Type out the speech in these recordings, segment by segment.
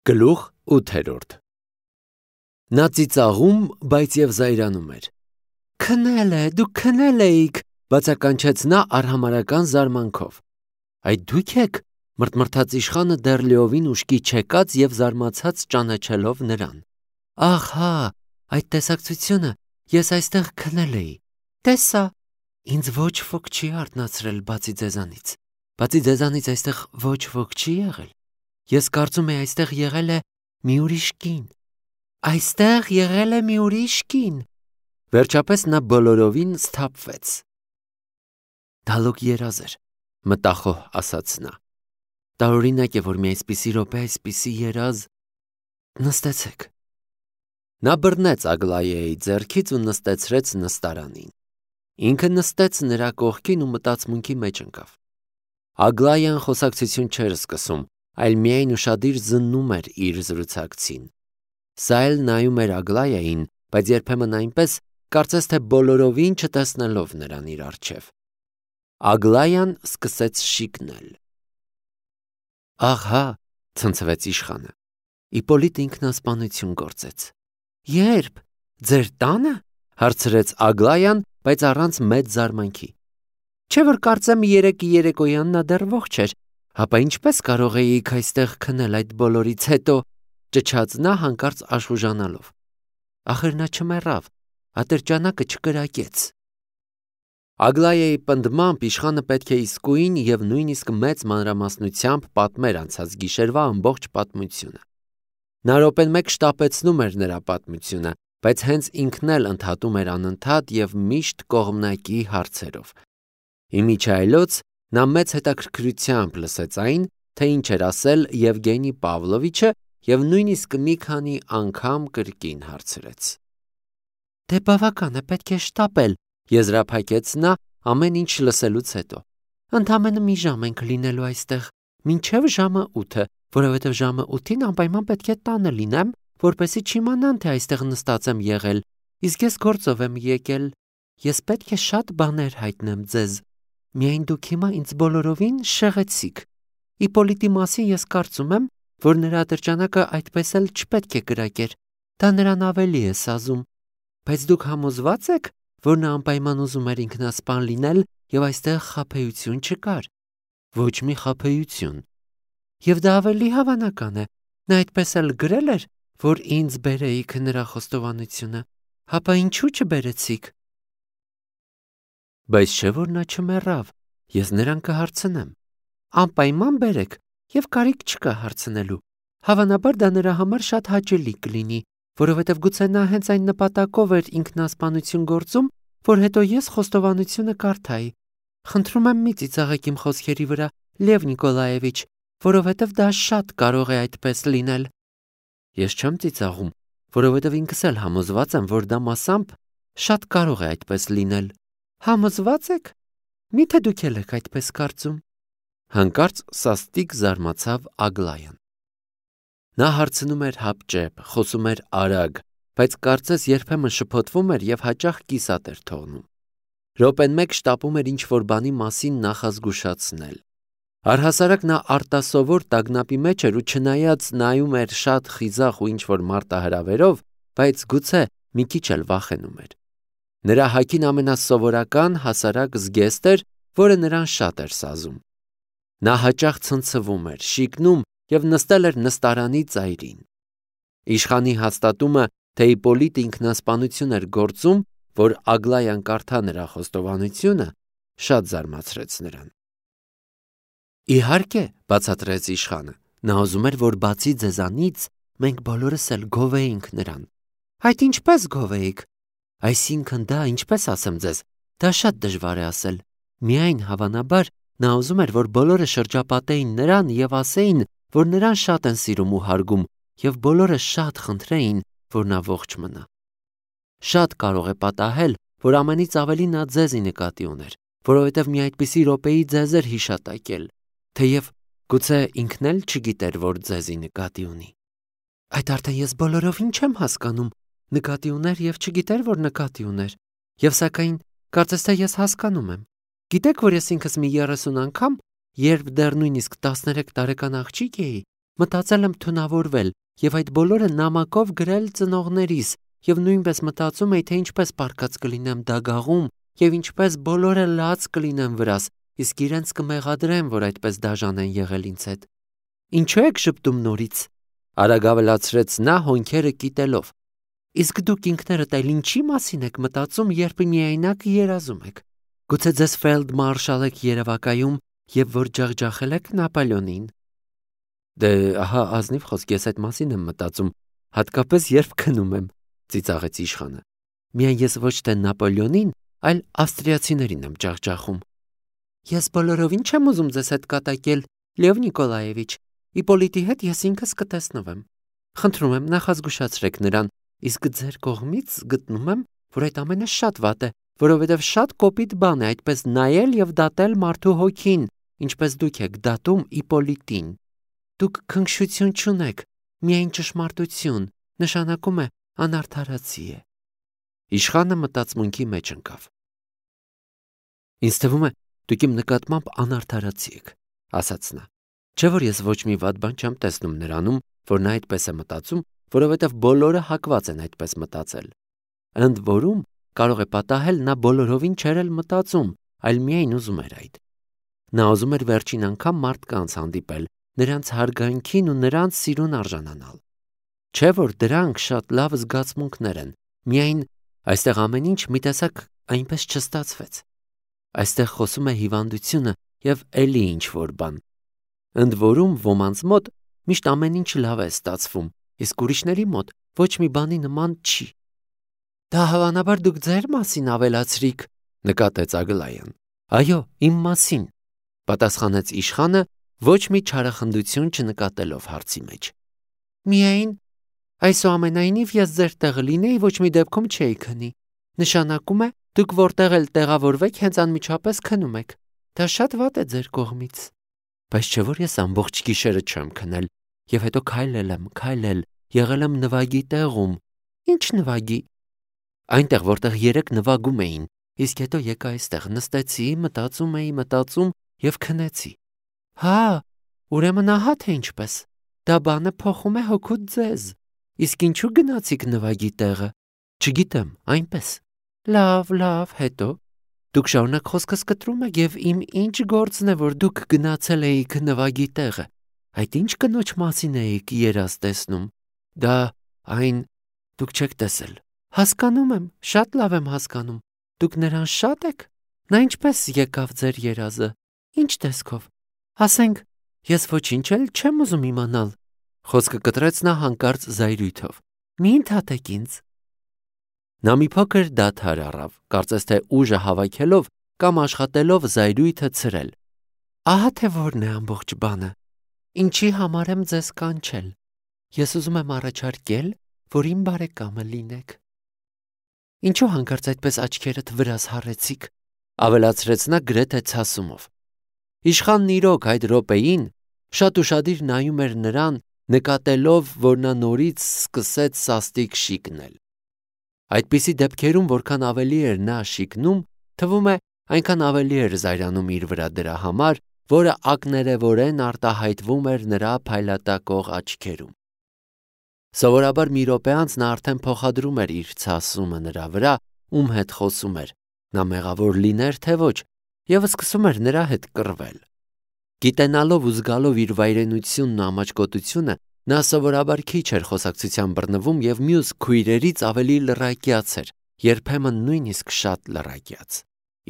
Գլուխ 8 Նա ծիծաղում, բայց և զայրանում էր։ Քնել է, դուք քնել էիք, բացականչեց նա արհամարհական զարմանքով։ Այդ դուք եք, մռթմռթաց իշխանը դեռ լիովին ուշքի չեկած և զարմացած ճանաչելով նրան։ Ահ հա, այդ տեսակցությունը, ես այստեղ քնել էի։ Տեսա, ինձ ոչ ոք չի արթնացրել բացի ձեզանից։ Բացի ձեզանից այստեղ ոչ ոք չի եղել։ Ես կարծում էի այստեղ եղել է մի ուրիշ կին։ Այստեղ եղել է մի ուրիշ կին։ Վերջապես նա բոլորովին սթափվեց։ Դալոկ երազ էր, մտախոհ ասաց նա։ Տարօրինակ է, որ մի այսպիսի րոպե այսպիսի երազ։ Նստեցեք։ Նա բռնեց Ագլայայի ձեռքից ու նստեցրեց նստարանին։ Ինքը նստեց նրա կողքին ու մտածմունքի մեջ ընկավ։ Ագլայան խոսակցություն չէր սկսում, այլ միայն ուշադիր զննում էր իր զրուցակցին։ Սա էլ նայում էր Ագլայային, բայց երբեմն այնպես, կարծես թե բոլորովին չտեսնելով նրան իր առջև։ Ագլայան սկսեց շիկնել։ Ահա, ցնցվեց իշխանը։ Իպոլիտ ինքնասպանություն գործեց։ Երբ։ Ձեր տանը։ Հարցրեց Ագլայան, բայց առանց մեծ զարմանքի։ Չէ՞ որ կարծեմ երեկոյան նա դեռ ողջ էր, հապա ինչպես կարող էիք այստեղ քնել այդ բոլորից հետո, ճչաց նա հանկարծ աշխուժանալով։ Ախր նա չմեռավ, ատրճանակը չկրակեց։ Ագլայայի պնդմամբ իշխանը պետք է իսկույն և նույնիսկ մեծ մանրամասնությամբ պատմեր անցած գիշերվա ամբողջ պատմությունը։ Նա րոպեն մեկ շտապեցնում էր նրա պատմությունը, բայց հենց ինքն էլ ընդհատում էր անընդհատ և միշտ կողմնակի հարցերով։ Իմիջիայլոց նա մեծ հետաքրքրությամբ լսեց այն, թե ինչ էր ասել Եվգենի Պավլովիչը և նույնիսկ մի քանի անգամ կրկին հարցրեց։ Դե բավական է, պետք է շտապել, եզրափակեց նա ամեն ինչ լսելուց հետո։ Ընդամենը մի ժամ ենք լինելու այստեղ, մինչև ժամը 8, որովհետև ժամը 8-ին անպայման պետք է տանը լինեմ, որպեսզի չիմանան, թե այստեղ նստած եմ եղել, իսկ ես գործով եմ եկել։ Ես պետք է շատ բաներ հայտնեմ ձեզ։ Միայն դուք հիմա ինձ բոլորովին շեղեցիք։ Իպոլիտի մասին ես կարծում եմ, որ նրա ատրճանակը այդպես էլ չպետք է կրակեր։ Դա նրան ավելի է սազում։ Բայց դուք համոզված եք, որ նա անպայման ուզում էր ինքնասպան լինել և այստեղ խաբեություն չկար։ Ոչ մի խաբեություն։ Եվ դա ավելի հավանական է։ Նա այդպես էլ գրել էր, որ ինձ բերեիք նրա խոստովանությունը։ Հապա ինչու չբերեցիք։ Բայց չէ՞ որ նա չմեռավ, ես նրան կհարցնեմ։ Անպայման բերեք, և կարիք չկա հարցնելու։ Հավանաբար դա նրա համար շատ հաճելի կլինի, որովհետև գուցե նա հենց այն նպատակով էր ինքնասպանություն գործում, որ հետո ես խոստովանությունը կարդայի։ Խնդրում եմ մի ծիծաղեք իմ խոսքերի վրա, Լև Նիկոլաևիչ, որովհետև դա շատ կարող է այդպես լինել։ Ես չեմ ծիծաղում, որովհետև ինքս էլ համոզված եմ, որ դա մասամբ շատ կարող է այդպես լինել։ Համոզված եք։ Միթե դուք էլ եք այդպես կարծում։ Հանկարծ սաստիկ զարմացավ Ագլայան։ Նա հարցնում էր հապճեպ, խոսում էր արագ, բայց կարծես երբեմն շփոթվում էր և հաճախ կիսատ էր թողնում։ Րոպեն մեկ շտապում էր ինչ-որ բանի մասին նախազգուշացնել։ Առհասարակ նա արտասովոր տագնապի մեջ էր ու չնայած նայում էր շատ խիզախ ու ինչ-որ մարտահրավերով, բայց գուցե մի քիչ էլ վախենում էր։ Նրա հագին ամենասովորական հասարակ զգեստ էր, որը նրան շատ էր սազում։ Նա հաճախ ցնցվում էր, շիկնում և նստել էր նստարանի ծայրին։ Իշխանի հաստատումը, թե Իպոլիտը ինքնասպանություն էր գործում, որ Ագլայան կարդա նրա խոստովանությունը, շատ զարմացրեց նրան։ Իհարկե, բացատրեց իշխանը, նա ուզում էր, որ բացի ձեզանից մենք բոլորս էլ գովեինք նրան։ Այդ ինչպես գովեիք։ Այսինքն դա, ինչպես ասեմ ձեզ, դա շատ դժվար է ասել։ Միայն հավանաբար նա ուզում էր, որ բոլորը շրջապատեին նրան և ասեին, որ նրան շատ են սիրում ու հարգում, և բոլորը շատ խնդրեին, որ նա ողջ մնա։ Շատ կարող է պատահել, որ ամենից ավելի նա ձեզի նկատի ուներ, որովհետև մի այդպիսի րոպեի ձեզ էր հիշատակել, թեև գուցե ինքն էլ չգիտեր, որ ձեզի նկատի ունի։ Այդ արդեն ես բոլորովին չեմ հասկանում, նկատի ուներ և չգիտեր, որ նկատի ուներ, և սակայն կարծես թե ես հասկանում եմ։ Գիտեք, որ ես ինքս մի 30 անգամ, երբ դեռ նույնիսկ 13 տարեկան աղջիկ էի, Մտածել եմ թունավորվել եւ այդ բոլորը նամակով գրել ծնողներիս եւ նույնպես մտածում էի, թե ինչպես պարկած կլինեմ դագաղում եւ ինչպես բոլորը լաց կլինեմ վրաս, իսկ իրենց կմեղադրեն, որ այդպես դաժան են եղել ինձ հետ։ Ինչու եք շփտում նորից, արագ ավելացրեց նա հոնքերը կիտելով։ Իսկ դուք ինքներդ այլ ինչի մասին եք մտածում, երբ միայնակ երազում եք։ Գուցե ձեզ ֆելդմարշալ եք երևակայում եւ որ ջախջախել եք Նապոլեոնին։ Դե ահա ազնիվ խոսք, ես այդ մասին եմ մտածում, հատկապես երբ քնում եմ, ծիծաղեց իշխանը։ Միայն ես ոչ թե Նապոլեոնին, այլ ավստրիացիներին եմ ջախջախում։ Ես բոլորովին չեմ ուզում ձեզ հետ կատակել, Լև Նիկոլաևիչ, Իպոլիտի հետ ես ինքս կտեսնվեմ։ Խնդրում եմ նախազգուշացրեք նրան, իսկ ձեր կողմից գտնում եմ, որ այդ ամենը շատ վատ է, որովհետև շատ կոպիտ բան է այդպես նայել եւ դատել մարդու հոգին, ինչպես դուք եք դատում Իպոլիտին։ Դուք քնքշություն չունեք, միայն ճշմարտություն, նշանակում է անարդարացի է։ Իշխանը մտածմունքի մեջ ընկավ։ Ինձ թվում է, դուք իմ նկատմամբ անարդարացի եք, ասաց նա։ Չէ՞ որ ես ոչ մի վատ բան չեմ տեսնում նրանում, որ նա այդպես է մտածում, որովհետև բոլորը հակված են այդպես մտածել։ Ընդ որում կարող է պատահել նա բոլորովին չէր էլ մտածում, այլ միայն ուզում էր այդ։ Նա ուզում էր վերջին անգամ մարդկանց հանդիպել, նրանց հարգանքին ու նրանց սիրուն արժանանալ։ Չէ՞ որ դրանք շատ լավ զգացմունքներ են, միայն այստեղ ամեն ինչ մի տեսակ այնպես չստացվեց։ Այստեղ խոսում է հիվանդությունը եւ էլի ինչ-որ բան։ Ընդ որում ոմանց մոտ միշտ ամեն ինչ լավ է ստացվում, իսկ ուրիշների մոտ ոչ մի բանի նման չի։ Դա հավանաբար դուք ձեր մասին ավելացրիք, նկատեց Ագլայան։ Այո, իմ մասին, պատասխանեց իշխանը, ոչ մի չարախնդություն չնկատելով հարցի մեջ։ Միայն այսուամենայնիվ ես ձեր տեղը լինեի, ոչ մի դեպքում չէի քնի։ Նշանակում է, դուք որտեղ էլ տեղավորվեք, հենց անմիջապես քնում եք։ Դա շատ վատ է ձեր կողմից։ Բայց չէ՞ որ ես ամբողջ գիշերը չեմ քնել, եւ հետո քայլել եմ, եղել եմ նվագի տեղում։ Ինչ նվագի։ Այնտեղ, որտեղ երեք նվագում էին, իսկ հետո եկա այստեղ, նստեցի, մտածում եւ քնեցի։ Հա, ուրեմն ահա թե ինչպես։ Դա բանը փոխում է հոգուդ ձեզ։ Իսկ ինչու գնացիք նվագի տեղը։ Չգիտեմ, այնպես։ Լավ, հետո։ Դուք շարունակ խոսքս կտրում եք եւ իմ ինչ գործն է, որ դուք գնացել էիք նվագի տեղը։ Այդ ինչ կնոջ մասին էիք երազ տեսնում։ Դա այն դուք չեք տեսել։ Հասկանում եմ, շատ լավ եմ հասկանում։ Դուք նրան շատ եք։ Նա ինչպես եկավ ձեր երազը։ Ինչ տեսքով։ Ասենք, ես ոչինչ էլ չեմ ուզում իմանալ։ Խոսքը կտրեց նա հանկարծ զայրույթով։ Մի ընդհատեք ինձ։ Նա մի փոքր դադար առավ, կարծես թե ուժը հավաքելով կամ աշխատելով զայրույթը ցրել։ Ահա թե որն է ամբողջ բանը։ Ինչի համար եմ ձեզ կանչել։ Ես ուզում եմ առաջարկել, որ իմ բարեկամը լինեք։ Ինչու հանկարծ այդպես աչքերդ վրաս հառեցիք, ավելացրեց նա գրեթե ցասումով։ Իշխանն իրոք այդ րոպեին շատ ուշադիր նայում էր նրան, նկատելով, որ նա նորից սկսեց սաստիկ շիկնել։ Այդպիսի դեպքերում, որքան ավելի էր նա շիկնում, թվում է, այնքան ավելի էր զայրանում իր վրա դրա համար, որը ակներևորեն արտահայտվում էր նրա փայլատակող աչքերում։ Սովորաբար մի րոպե անց նա արդեն փոխադրում էր իր ցասումը նրա վրա, ում հետ խոսում էր, նա մեղավոր լիներ թե ոչ, եւ սկսում էր նրա հետ կռվել։ Գիտենալով ու զգալով իր վայրենությունն ու ամաչկոտությունը, նա սովորաբար քիչ էր խոսակցության բռնվում եւ մյուս քույրերից ավելի լռակյաց էր, երբեմն նույնիսկ շատ լռակյաց։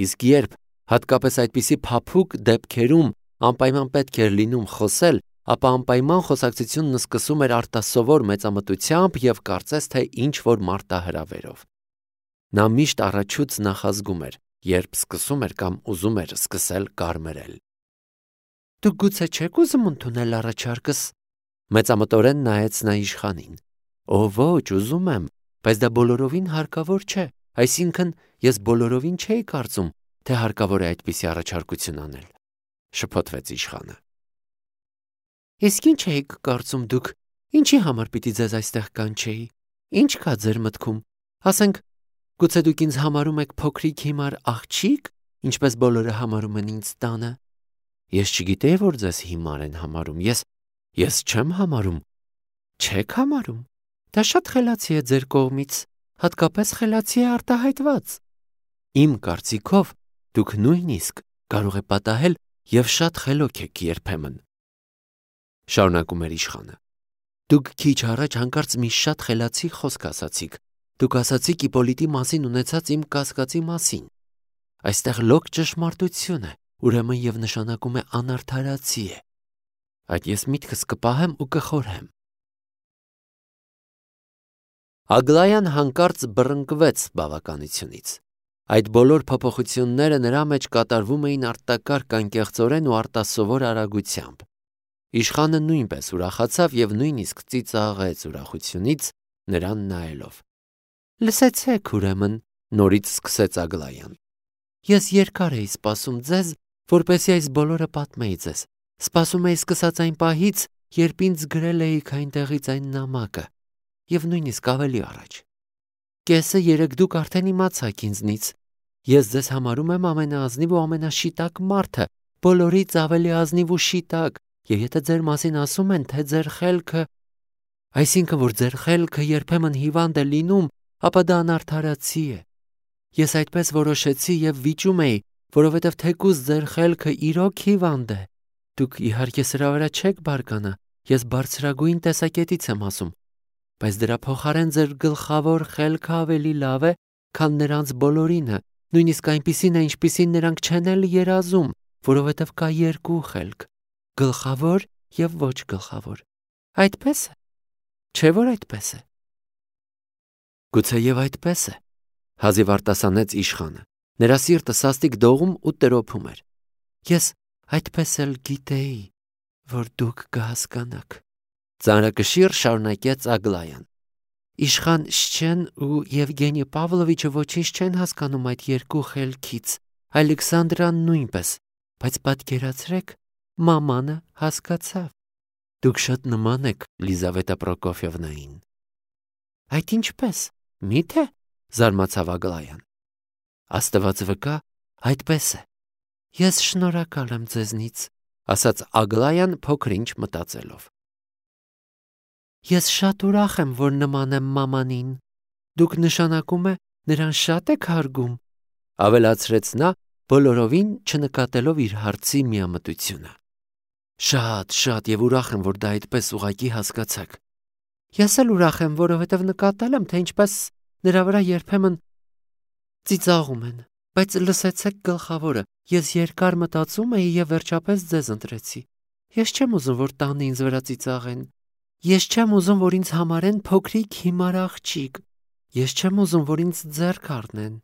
Իսկ երբ հատկապես այդպիսի փափուկ դեպքերում անպայման պետք էր լինում խոսել, ապա անպայման խոսակցությունն սկսում էր արտասովոր մեծամտությամբ եւ կարծես թե ինչ որ մարտահրավերով։ Նա միշտ առաջուց նախազգում էր, երբ սկսում էր կամ ուզում էր սկսել կարմրել։ Դուք գուցե չեք ուզում ընդունել առաջարկս։ Մեծամտորեն նայեց նա իշխանին։ Օ ոչ, ուզում եմ, բայց դա բոլորովին հարկավոր չէ, այսինքն ես բոլորովին չէի կարծում, թե հարկավոր է այդպիսի առաջարկություն անել, շփոթվեց իշխանը։ Իսկ ինչ եք կարծում դուք, ինչի համար պիտի ձեզ այստեղ կանչեի, ինչ կա ձեր մտքում, ասենք, գուցե դուք ինձ համարում եք փոքրիկ հիմար աղջիկ, ինչպես բոլորը համարում են ինձ տանը։ Ես չգիտեի, որ ձեզ հիմար են համարում, ես Ես չեմ համարում։ Չեք համարում։ Դա շատ խելացի է ձեր կողմից, հատկապես խելացի է արտահայտված։ Իմ կարծիքով դուք նույնիսկ կարող եք պատահել եւ շատ խելոք եք երբեմն։ Շարունակում էր իշխանը։ Դուք քիչ առաջ հանկարծ մի շատ խելացի խոսք ասացիք։ Դուք ասացիք Իպոլիտի մասին ունեցած իմ կասկածի մասին։ Այստեղ լոկ ճշմարտություն է, ուրեմն եւ նշանակում է անարդարացի է։ Այդ ես միտքս կպահեմ ու կխորհեմ։ Ագլայան հանկարծ բռնկվեց բավականությունից։ Այդ բոլոր փոփոխությունները նրա մեջ կատարվում էին արտակարգ անկեղծորեն ու արտասովոր արագությամբ։ Իշխանը նույնպես ուրախացավ եւ նույնիսկ ծիծաղեց ուրախությունից նրան նայելով։ Լսեցեք, ուրեմն, նորից սկսեց Ագլայան։ Ես երկար էի սպասում ձեզ, որպեսզի այս բոլորը պատմեի ձեզ։ Սպասում էի սկսած այն պահից, երբ ինձ գրել էիք այնտեղից այն նամակը, եւ նույնիսկ ավելի առաջ։ Կեսը երեք դուք արդեն իմացաք ինձնից։ Ես ձեզ համարում եմ ամենաազնիվ ու ամենաշիտակ մարդը, բոլորից ավելի ազնիվ ու շիտակ, եւ եթե ձեր մասին ասում են, թե ձեր խելքը, այսինքն որ ձեր խելքը երբեմն հիվանդ է լինում, ապա դա անարդարացի է։ Ես այդպես որոշեցի եւ վիճում էի, որովհետեւ թեկուզ ձեր խելքը իրոք հիվանդ է։ Դուք իհարկե սրա վրա չեք բարկանա, ես բարձրագույն տեսակետից եմ ասում, բայց դրա փոխարեն ձեր գլխավոր խելքը ավելի լավ է, քան նրանց բոլորինը, նույնիսկ այնպիսին է, ինչպիսին նրանք չեն էլ երազում, որովհետեւ կա երկու խելք՝ գլխավոր եւ ոչ գլխավոր։ Այդպես է։ Չէ՞ որ այդպես է։ Գուցեև այդպես է, հազիվ արտասանեց իշխանը։ Նրա սիրտը սաստիկ դողում ու տրոփում էր։ Ես այդպես էլ գիտեի, որ դուք կհասկանաք։ Ծանրակշիռ շարունակեց Ագլայան։ Իշխան Շչեն ու Եվգենի Պավլովիչը ոչինչ չեն հասկանում այդ երկու խելքից, Ալեքսանդրան նույնպես, բայց պատկերացրեք, մամանը հասկացավ։ Դուք շատ նման եք Լիզավետա Պրոկոֆիևնային։ Այդ ինչպես, մի՞թե, զարմացավ Ագլայան։ Աստված վկա, այդպես է։ Ես շնորհակալ եմ ձեզնից, ասաց Ագլայան փոքր-ինչ մտածելով։ Ես շատ ուրախ եմ, որ նման եմ մամանին։ Դուք նշանակում է նրան շատ եք հարգում, ավելացրեց նա, բոլորովին չնկատելով իր հարցի միամտությունը։ Շատ եւ ուրախ եմ, որ դա այդպես ուղղակի հասկացաք։ Ես էլ ուրախ եմ, որովհետեւ նկատել եմ, թե ինչպես նրա վրա երբեմն ծիծաղում են, բայց լսեցեք գլխավորը, ես երկար մտածում էի եւ վերջապես ձեզ ընտրեցի։ Ես չեմ ուզում, որ տանը ինձ վրա ծիծաղեն։ Ես չեմ ուզում, որ ինձ համարեն փոքրիկ հիմար աղջիկ։ Ես չեմ ուզում, որ ինձ ձեռք առնեն։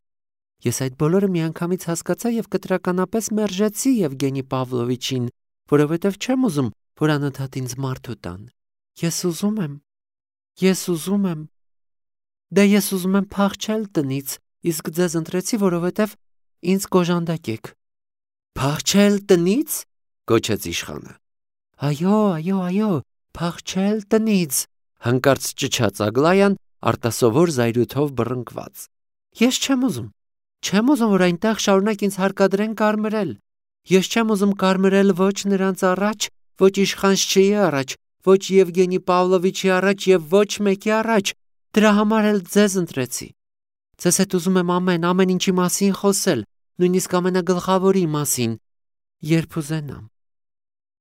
Ես այդ բոլորը միանգամից հասկացա եւ կտրականապես մերժեցի Եվգենի Պավլովիչին, որովհետեւ չեմ ուզում, որ անընդհատ ինձ մարդու տան։ Ես ուզում եմ։ Դե ես ուզում եմ փախչել տնից, իսկ ձեզ ընտրեցի, որովհետեւ ինձ կոժանդակեք։ Փախչել տնից, գոչեց իշխանը։ Այո, փախչել տնից, հանկարծ ճչաց Ագլայան արտասովոր զայրույթով բռնկված։ Ես չեմ ուզում, որ այնտեղ շարունակ ինձ հարկադրեն կարմրել։ Ես չեմ ուզում կարմրել ոչ նրանց առաջ, ոչ իշխան Շչեի առաջ, ոչ Եվգենի Պավլովիչի առաջ եւ ոչ մեկի առաջ։ Դրա համար էլ ձեզ ընտրեցի։ Ձեզ հետ ուզում եմ ամեն ինչի մասին խոսել, նույնիսկ ամենագլխավորի մասին, երբ ուզենամ։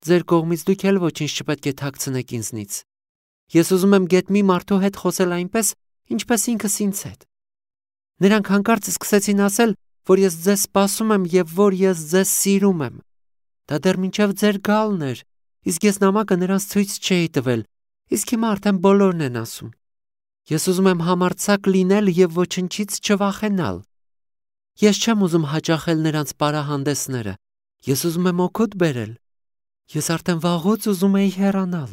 Ձեր կողմից դուք էլ ոչինչ չպետք է թաքցնեք ինձնից։ Ես ուզում եմ գեթ մի մարդու հետ խոսել այնպես, ինչպես ինքս ինձ հետ։ Նրանք հանկարծ սկսեցին ասել, որ ես ձեզ սպասում եմ եւ որ ես ձեզ սիրում եմ։ Դա դեռ մինչև ձեր գալն էր, իսկ ես նամակը նրանց ցույց չէի տվել, իսկ հիմա արդեն բոլորն են ասում։ Ես ուզում եմ համարձակ լինել եւ ոչնչից չվախենալ։ Ես չեմ ուզում հաճախել նրանց պարահանդեսները։ Ես ուզում եմ օգուտ բերել։ Ես արդեն վաղուց ուզում էի հեռանալ։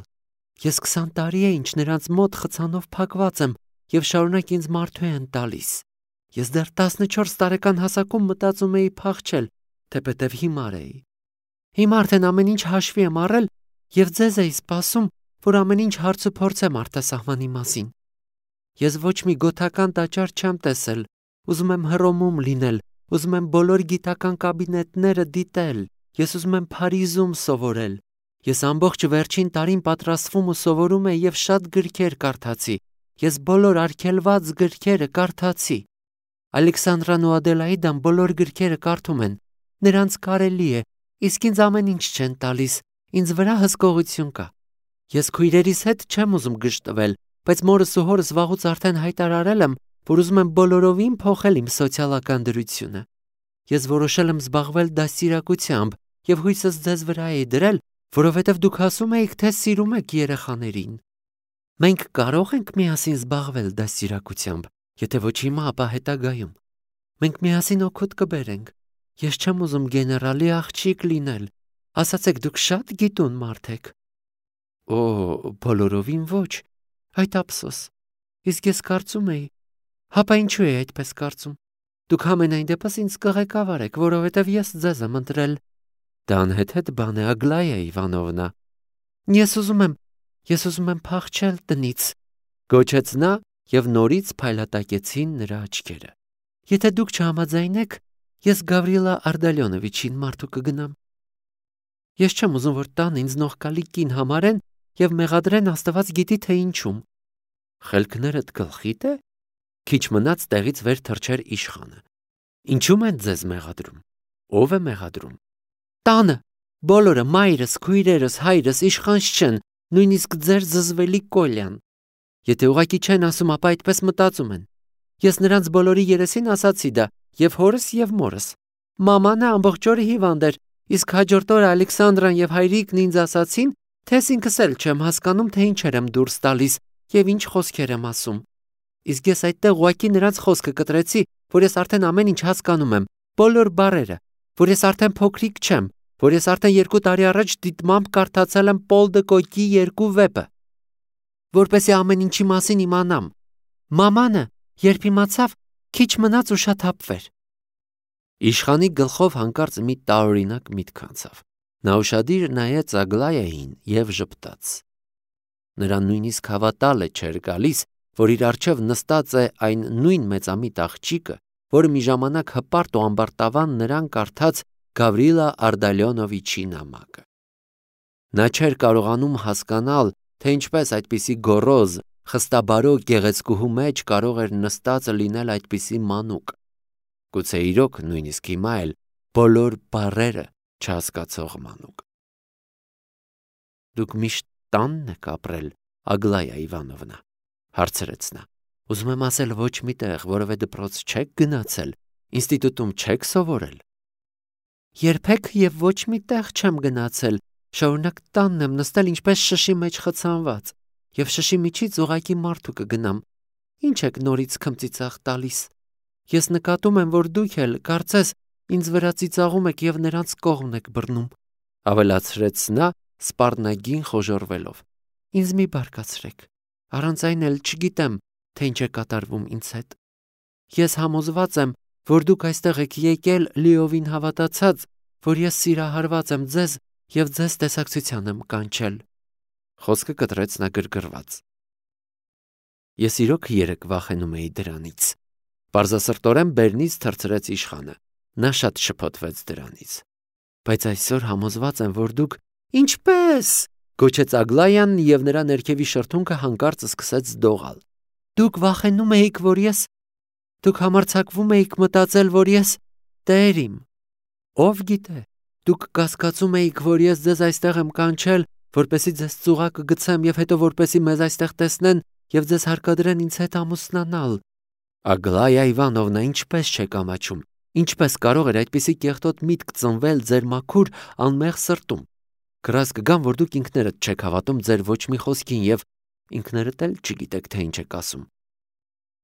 Ես 20 տարի է ինչ նրանց մոտ խցանով փակված եմ եւ շարունակ ինձ մարդու են տալիս։ Ես դեռ 14 տարեկան հասակում մտածում էի փախչել, թեպետև հիմար էի։ Հիմա արդեն ամեն ինչ հաշվի եմ առել եւ ձեզ էի սպասում, որ ամեն ինչ հարցուփորձեմ արտասահմանի մասին։ Ես ոչ մի գոթական տաճար չեմ տեսել, ուզում եմ Հռոմում լինել, ուզում եմ բոլոր գիտական կաբինետները դիտել, ես ուզում եմ Փարիզում սովորել, Ես ամբողջ վերջին տարին պատրաստվում ու սովորում եի եւ շատ գրքեր կարդացի։ Ես բոլոր արգելված գրքերը կարդացի։ Ալեքսանդրան ու Ադելաիդան բոլոր գրքերը կարդում են։ Նրանց կարելի է, իսկ ինձ ամեն ինչ չեն տալիս։ Ինձ վրա հսկողություն կա։ Ես քույրերիս հետ չեմ ուզում գժտվել, բայց մորս ու հորս վաղուց արդեն հայտարարել եմ, որ ուզում եմ բոլորովին փոխել իմ սոցիալական դրությունը։ Ես որոշել եմ զբաղվել դաստիարակությամբ եւ հույսս ձեզ վրա էի դրել, որովհետեւ դուք ասում եք, թե սիրում եք երեխաներին։ Մենք կարող ենք միասին զբաղվել դաստիարակությամբ, եթե ոչ հիմա, ապա հետագայում։ Մենք միասին օգուտ կբերենք։ Ես չեմ ուզում գեներալի աղջիկ լինել։ Ասացեք, դուք շատ գիտուն մարդ եք։ Օ, բոլորովին ոչ։ Այդ ափսոս։ Իսկ ես կարծում էի, հապա ինչու է այդպես կարծում։ Դուք համենայն դեպս ինձ կղեկավար եք, որովհետև ես ձեզ եմ ընտրել։ Դա անհեթեթ բան է, Ագլայա Իվանովնա։ Ես ուզում եմ փախչել տնից, գոչեց նա եւ նորից փայլատակեցին նրա աչքերը։ Եթե դուք չհամաձայնեք, ես Գավրիլա Արդալյոնովիչին մարդու կգնամ։ Ես չեմ ուզում, որ տան ինձ նողկալի կին համարեն եւ մեղադրեն Աստված գիտի թե ինչում։ Խելքներդ գլխիդ է։ Քիչ մնաց տեղից վեր թռչեր իշխանը։ Ինչու՞մ են ձեզ մեղադրում։ Ո՞վ է մեղադրում։ Տանը, բոլորը, մայրս, քույրերս, հայրս, իշխանց չեն, նույնիսկ ձեր զզվելի Կոլյան։ Եթե ուղակի չեն ասում, ապա այդպես մտածում են։ Ես նրանց բոլորի երեսին ասացի դա, եւ հորս եւ մորս։ Մաման ամբողջ օրը հիվանդ էր, իսկ հաջորդ օրը Ալեքսանդրան եւ հայրիկն ինձ ասացին, թե ինքս էլ չեմ հասկանում, թե ինչեր եմ դուրս տալիս եւ ինչ խոսքեր եմ ասում։ Իսկ ես այդտեղ ուղակի նրանց խոսքը կտրեցի, որ ես արդեն ամեն ինչ հասկանում եմ, բոլոր բառերը, որ ես արդեն փոքրիկ չեմ, որ ես արդեն 2 տարի առաջ դիտմամբ կարդացել եմ Պոլ դը Կոկի 2 վեպը, որպեսզի ամեն ինչի մասին իմանամ։ Մամանը, երբ իմացավ, քիչ մնաց ու շատ հապվեր։ Իշխանի գլխով հանկարծ մի տարօրինակ միտք անցավ։ Նա ուշադիր նայեց Ագլայային եւ ժպտաց։ Նրան նույնիսկ հավատալը չէր գալիս, որ իր առջև նստած է այն նույն մեծամիտ աղջիկը, որը մի ժամանակ հպարտ ու ամբարտավան նրան կարդաց Գավրիլա Արդալյոնովիչի նամակը։ Նա չէր կարողանում հասկանալ, թե ինչպես այդպիսի գոռոզ, խստաբարո գեղեցկուհու մեջ կարող էր նստածը լինել այդպիսի մանուկ։ Գուցե իրոք նույնիսկ հիմա էլ բոլոր բառերը չհասկացող մանուկ։ Դուք միշտ տանն եք ապրել, Ագլայա Իվանովնա, հարցրեց նա։ Ուզում եմ ասել ոչ մի տեղ, որևէ դպրոց չեք գնացել, ինստիտուտում չեք սովորել։ Երբեք եւ ոչ մի տեղ չեմ գնացել, շարունակ տանն եմ նստել ինչպես շշի մեջ խցանված, եւ շշի միջից ուղակի մարդու կգնամ։ Ինչ եք նորից քմծիծաղ տալիս։ Ես նկատում եմ, որ դուք էլ կարծես ինձ վրա ծիծաղում եք եւ նրանց կողմն եք բռնում, ավելացրեց նա սպառնագին խոժոռվելով։ Ինձ մի բարկացրեք, առանց այն էլ չգիտեմ, թե ինչ է կատարվում ինձ հետ։ Ես համոզված եմ, որ դուք այստեղ եք եկել լիովին հավատացած, որ ես սիրահարված եմ ձեզ եւ ձեզ տեսակցության եմ կանչել։ Խոսքը կտրեց նա գրգռված։ Ես իրոք երեք վախենում էի դրանից։ Պարզասրտորեն բերնից թռցրեց իշխանը։ Նա շատ շփոթվեց դրանից։ Բայց այսօր համոզված եմ, որ դուք ինչպես գոչեց Ագլայան եւ նրա ներքևի շրթունքը հանկարծ սկսեց դողալ։ Դուք վախենում էիք, որ դուք համարձակվում էիք մտածել, որ ես տեր իմ։ Ով գիտե, դուք կասկածում էիք, որ ես ձեզ այստեղ եմ կանչել, որպեսզի ձեզ ծուղակը գցեմ եւ հետո որպեսզի մեզ այստեղ տեսնեն եւ ձեզ հարկադրեն ինձ հետ ամուսնանալ։ Ագլայա Իվանովնա, ինչպես չեք ամաչում։ Ինչպես կարող էր այդպիսի կեղտոտ միտք ծնվել ձեր մաքուր անմեղ սրտում։ Գրած կգամ, որ դուք ինքներդ չեք հավատում ձեր ոչ մի խոսքին եւ ինքներդ էլ չգիտեք, թե ինչ եք ասում։